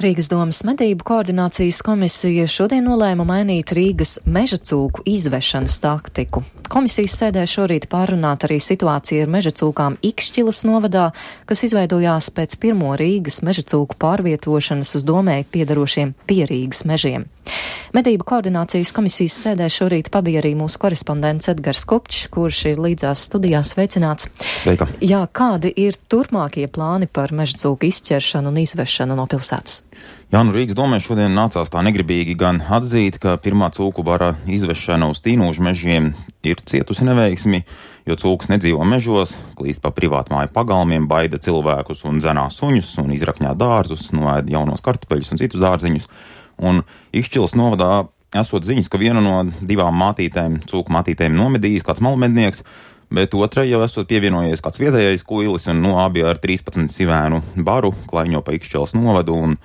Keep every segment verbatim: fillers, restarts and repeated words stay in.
Rīgas domas medību koordinācijas komisija šodien nolēma mainīt Rīgas meža cūku izvešanas taktiku. Komisijas sēdē šorīt pārunāt arī situācija ar meža cūkām Ikšķilas novadā, kas izveidojās pēc pirmo Rīgas meža cūku pārvietošanas uz domēji piedarošiem Pierīgas mežiem. Medību koordinācijas komisijas sēdē šorīt pabija arī mūsu korespondents Edgars Kupčs, kurš ir līdzās studijās. Sveicināts. Sveika. Jā, kādi ir turpmākie plāni par meža cūku izķeršanu un izvešanu no pilsētas? Jā, nu Rīgas domē šodien nācās tā negribīgi gan atzīt, ka pirmā cūku bara izvešana uz Tīnūžu mežiem ir cietusi neveiksmi, jo cūkas nedzīvo mežos, klīst pa privātmāju pagalmiem, baida cilvēkus un dzenā suņus un izrakņā dārzus, noēd jaunos kartupeļus un citus dārziņus. Un Ikšķilas novadā esot ziņas, ka vienu no divām mātītēm, cūku mātītēm nomedījis kāds malmednieks, bet otrai jau esot pievienojies kāds vietējais kuilis, un no abi ar trīspadsmit sivēnu baru klaiņo pa Ikšķilas novadu un,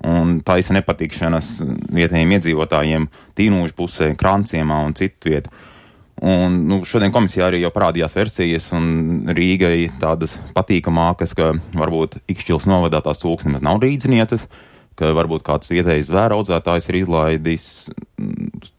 un taisa nepatikšanas vietējiem iedzīvotājiem Tīnūžu pusē, Kranciemā un citu vietu. Un, nu, šodien komisijā arī jau parādījās versijas, un Rīgai tādas patīkamākas, ka varbūt Ikšķilas novadā tās cūkas nemaz nav rīdzinieces, ka varbūt kāds vietējais zvēra audzētājs ir izlaidis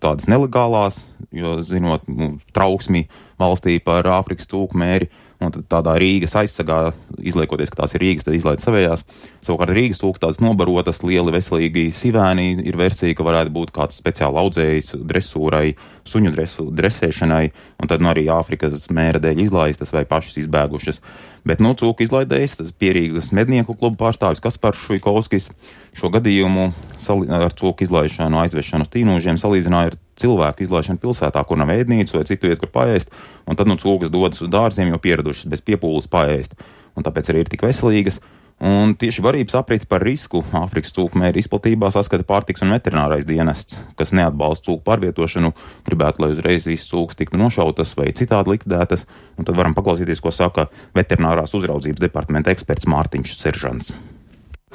tādas nelegālās, jo zinot nu, trauksmi valstī par Āfrikas cūku mēri, un tad tādā Rīgas aizsargā, izliekoties, ka tās ir Rīgas, tad izlaid savējās. Savukārt Rīgas cūkas tādas nobarotas, lieli veselīgi sivēni, ir versija, ka varētu būt kāds speciāli audzējs dresūrai, suņu dresu, dresēšanai, un tad nu arī Āfrikas mēra dēļ izlaistas vai pašas izbēgušas. Bet, nu, cūku izlaidējs, tas Pierīgas mednieku klubu pārstāvis Kaspars Šuikovskis šo gadījumu sali, ar cūku izlaišanu, aizvešanu uz Tīnūžiem salīdzināja ar cilvēku izlaišanu pilsētā, kur nav ēdnīcu vai citu vietu, kur paēst, un tad, nu, cūkas dodas uz dārziem, jo pieradušas bez piepūles paēst, un tāpēc arī ir tik veselīgas. Un tieši barības apriti par risku Āfrikas cūku mēra izplatībā saskata pārtiks un veterinārais dienests, kas neatbalsta cūku pārvietošanu, gribētu, lai uzreiz visas cūkas tiktu nošautas vai citādi likvidētas, un tad varam paklausīties, ko saka veterinārās uzraudzības departamenta eksperts Mārtiņš Seržants.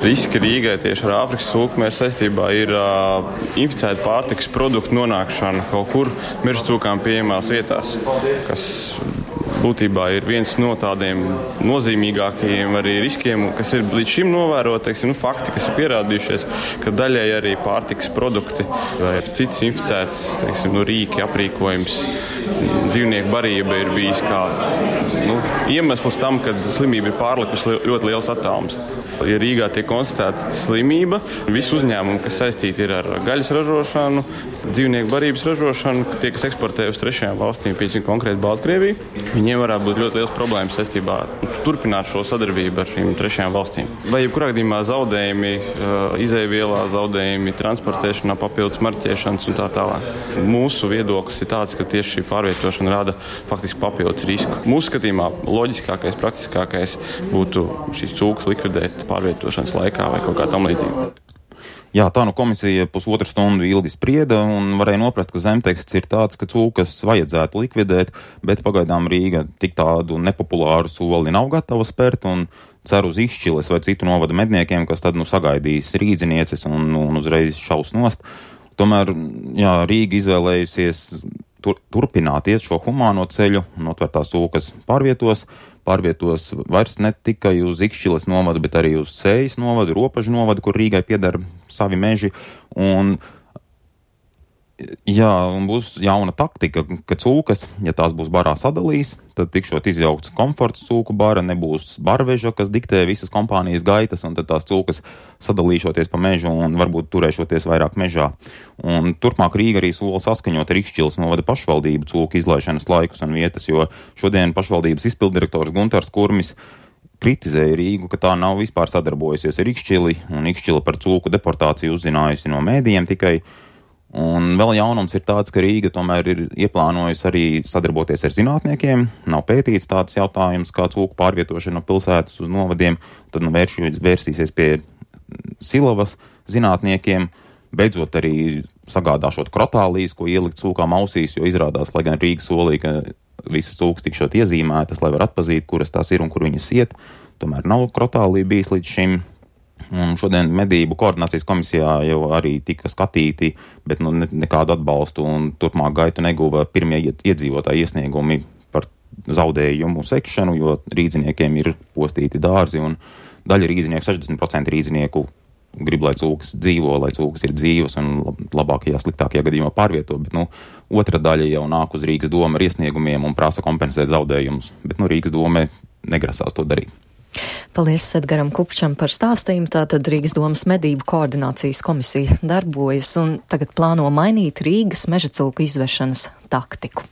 Riski Rīgai tieši ar Āfrikas cūku mēra saistībā ir uh, inficēta pārtikas produktu nonākšana kaut kur meža cūkām pieejamās vietās, kas būtībā ir viens no tādiem nozīmīgākajiem arī riskiem, kas ir līdz šim novērot, teiksim, nu, fakti, kas ir pierādījušies, ka daļai arī pārtikas produkti vai citas inficētas, teiksim, nu, rīki, aprīkojums, dzīvnieku barība ir bijis kā nu, iemesls tam, kad slimība ir pārlikusi ļoti liels attālums. Ja Rīgā tiek konstatēta slimība, visi uzņēmumi, kas saistīti ir ar gaļas ražošanu, dzīvnieku barības ražošanu, tie, kas eksportē uz trešajām valstīm, piemēram, konkrēti Baltkrieviju, viņiem varētu būt ļoti liels problēmas saistībā ar turpināt šo sadarbību ar šīm trešajām valstīm. Vai jebkurā gadījumā zaudējumi, izēvielā zaudējumi, transportēšanā, papildus marķēšanas un tā tālāk. Mūsu viedoklis ir tāds, ka tieši šī pārvietošana rada faktiski papildus risku. Mūsu skatījumā loģiskākais, praktiskākais būtu šīs cūkas likvidēt pārvietošanas laikā vai kaut kā tam līdzīga. Jā, tā nu komisija pusotru stundu ilgi sprieda un varēja noprast, ka zemteksts ir tāds, ka cūkas vajadzētu likvidēt, bet pagaidām Rīga tik tādu nepopulāru soli nav gatava spērt un cer uz Ikšķiles vai citu novada medniekiem, kas tad nu sagaidīs rīdzinieces un, un uzreiz šaus nost. Tomēr, jā, Rīga izvēlējusies tur, turpināt iet šo humāno ceļu un otvērtās cūkas pārvietos. Pārvietos vairs ne tikai uz Ikšķiles novadu, bet arī uz Sējas novadu, Ropažu novadu, kur Rīgai pieder savi meži. Un, jā, un būs jauna taktika, ka cūkas, ja tās būs barā sadalīs, tad tikšot izjaukts komforts cūku bara, nebūs barveža, kas diktē visas kompānijas gaitas, un tad tās cūkas sadalīšoties pa mežu un varbūt turēšoties vairāk mežā. Un turpmāk Rīga arī sola saskaņot ar Ikšķiles novada pašvaldību cūku izlaišanas laikus un vietas, jo šodien pašvaldības izpilddirektors Guntars Kurmis kritizēja Rīgu, ka tā nav vispār sadarbojusies ar Ikšķili, un Ikšķila par cūku deportāciju uzzinājusi no mēdījiem tikai. Un vēl jaunums ir tāds, ka Rīga tomēr ir ieplānojusi arī sadarboties ar zinātniekiem. Nav pētīts tāds jautājums kā cūku pārvietošana no pilsētas uz novadiem. Tad nu vērš, vērsīsies pie Silavas zinātniekiem, beidzot arī sagādāšot krotālijas, ko ielikt cūkām ausīs, jo izrādās, lai gan Rīga solīja, ka visas cūkas tikšot iezīmētas, lai var atpazīt, kuras tās ir un kur viņas iet. Tomēr nav krotālija bijis līdz šim. Un šodien medību koordinācijas komisijā jau arī tika skatīti, bet nu, ne, nekādu atbalstu un turpmāk gaitu neguva pirmie iedzīvotāji iesniegumi par zaudējumu sekšanu, jo rīdziniekiem ir postīti dārzi un daļa rīdzinieku, sešdesmit procenti rīdzinieku grib, lai cūkas dzīvo, lai cūkas ir dzīvas un labākajā, sliktākajā gadījumā pārvieto, bet, nu, otra daļa jau nāk uz Rīgas domu ar iesniegumiem un prasa kompensēt zaudējumus, bet, nu, Rīgas doma negrasās to darīt. Paldies Edgaram Kupčam par stāstījumu. Tātad Rīgas domas medību koordinācijas komisija darbojas un tagad plāno mainīt Rīgas mežacūku izvešanas taktiku.